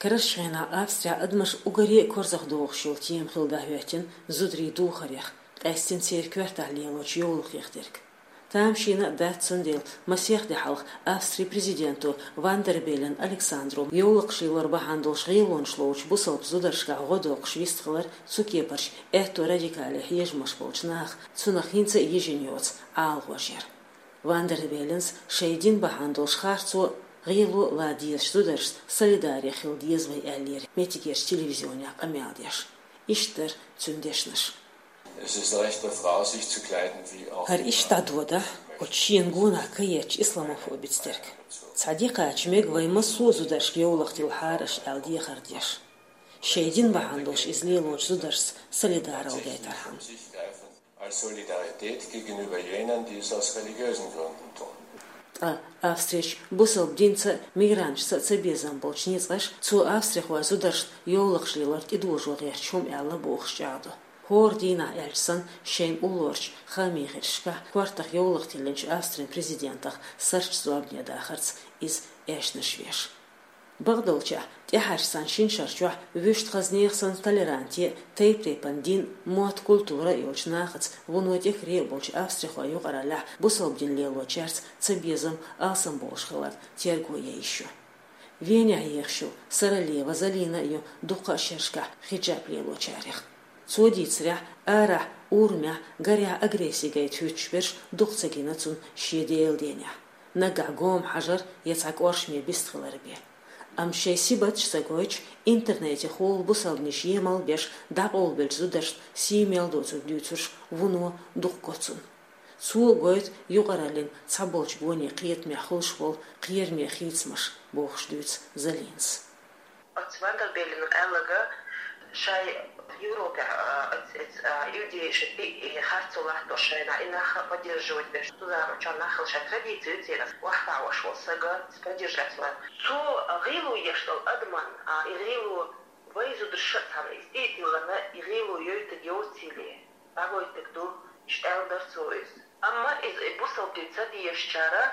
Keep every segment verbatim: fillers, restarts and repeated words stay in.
Карарчу хенахь Австрехь адамаш уггаре а корзахдохуш йолу тема хилла дӀахӀоьттина зударийн духарех, къаьсттина церан коьртехь лелочу йовлакхех дерг. Тамашийна а дац, цундела масех де хьалха Австрин президенто Ван дер Беллен Александро йовлакхаш лелор бахьана долуш гӀелонаш лоцучу бусалба зударшкахь гӀо доккхуш вистхилар цу кепарчу аьтту радикале хьежамаш болчу наха цунах хӀинца а йижина йоцу Ӏаламхоша яра. Ван дер Беллена шайн дин бахьана долуш харцо, гӀело лан дезачу зударшца солидаре хила деза вай аьллера меттигерчу телевизионехь къамел деш. Иштта дара цуьнан дешнаш. Es ist Recht der Frau, sich zu kleiden, wie auch ХӀара иштта дӀадодахь, оцу шена гонах кхаьчча исламофобица дерг. Цхьа де кхача мега вай массо а зударшка йовлакх тилхьара аша аьлла дехар деш. Шайн дин бахьана долуш иза лелочу зударшца солидарал гайтархьама. Als Solidarität gegenüber jenen, die es aus religiösen Gründen tun. Ткъа Австрерчу бусалба динца а, мигранташца а цабезам болчу ницкъаша цо австрихойн зударшна йовлакхаш лелор тӀедожо гӀерташ хӀума аьлла бохуш чӀагӀдо. ХӀора дийнахь аьлча санна, шайн уллорчу хаамийн хеташкахь кортах йовлакх тиллинчу Австрин президентах сурташ зорбане дахарца иза аьшнаш веш. Бакъдолчехь, тӀаьхьарчу цхьана шина шарчохь вуьшта хаза нехан санна толеранте а, тайп-тайпана дин, мотт, культура а йолчу нахаца вуно тӀекаре а болчу австрихойн юкъараллехь бусалба дин лелочаьрца цабезам алсамбовлуш хиларна терго ян йиш ю. Венехь ехаш йолу Саралева Залина а ю дуккха а шерашкахь хиджаб лелочарех. Цо дийцарехь, арахь, урамехь, гарехь агресси гайта хӀуьттуш берш дукха ца гина цунна шен Делан денехь. Наггахь гома хьажар я цхьа кӀоршаме бист хилар бен. Амма шайн сибаташ ца гойтуш, интернетехула бусалбанаш емал беш, дӀакъовлабеллачу зударшна сий мел доцург дуьйцурш вуно дукха го цунна. Цо а гойту юкъараллин цхьаболчу гонийн кхетамехь хуьлуш болу кхераме хийцамаш, бохуш дуьйцу Залинас. Оцу Ван дер Беллена аьлларг, шайн Европехь, а, оцу, оцу, а, иудейша тӀе, и, харцо латтош шайна и нах поддерживать беш, цу заманчохь нах шайн традици ю церан, охьатаӀош волу сага поддержать ван. Цо гӀело еш долу адаман, а, и гӀело вай зударша а цхьаьна иза тӀе а тиллина, и гӀело йойтург йоцийла, дӀагойтург ду, иштта аьлла дара цо иза. Амма иза и бусалба дин ца дезачара,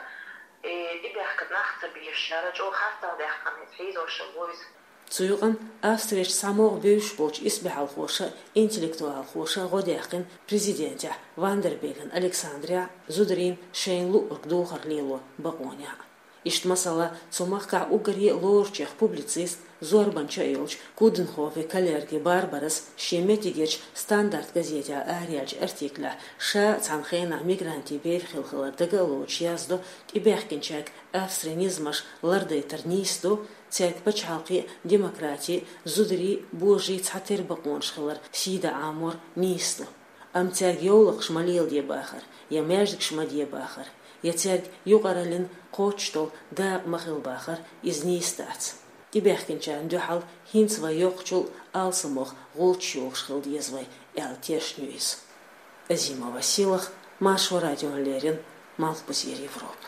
и тӀебаьхкина нах ца безачара чӀогӀа харцахь даьккхина иза хьийзош а бу иза. Цу юкъана Австрерчу цхьамогӀа бевзаш болчу исбаьхьалхоша а, интеллектуалхоша а гӀо даьккхина президентехь Ван дер Беллен Александрехь а, зударийн шайна луъург духар лело бакъонехь а. Иштта, масала, цу махкахь уггаре а лоручех публицист, зорбанча а йолчу Куденхофен Каллерге Барбарас шен меттигерчу «Стандарт» газетехь араяьллачу артиклехь, ша а цхьана хенахь мигрантийн бер хилла хилар дага а лоцуш, яздо: тӀебаьхкинчаьрга Австрин низамаш лардайтар нийса ду, цаьрга пачхьалкхе а, демократе а, зударий а, божарий а цхьатерра бакъонаш хилар сий дан Ӏамор нийса ду. Амма цаьрга йовлакхаш ма леладе бахар, я маьждигаш ма де бахар, я цаьрга юкъараллин кхоччуш долу дакъа ма хила бахар, иза нийса дац. ТӀебаьхкинчарна дуьхьал хӀинца вай йоккхачул а алсамох гӀулчаш йохуш хила деза вай, аьлла тешна ю иза. Азима Василах, Маршо радиона леррина, Малхбузера Европа.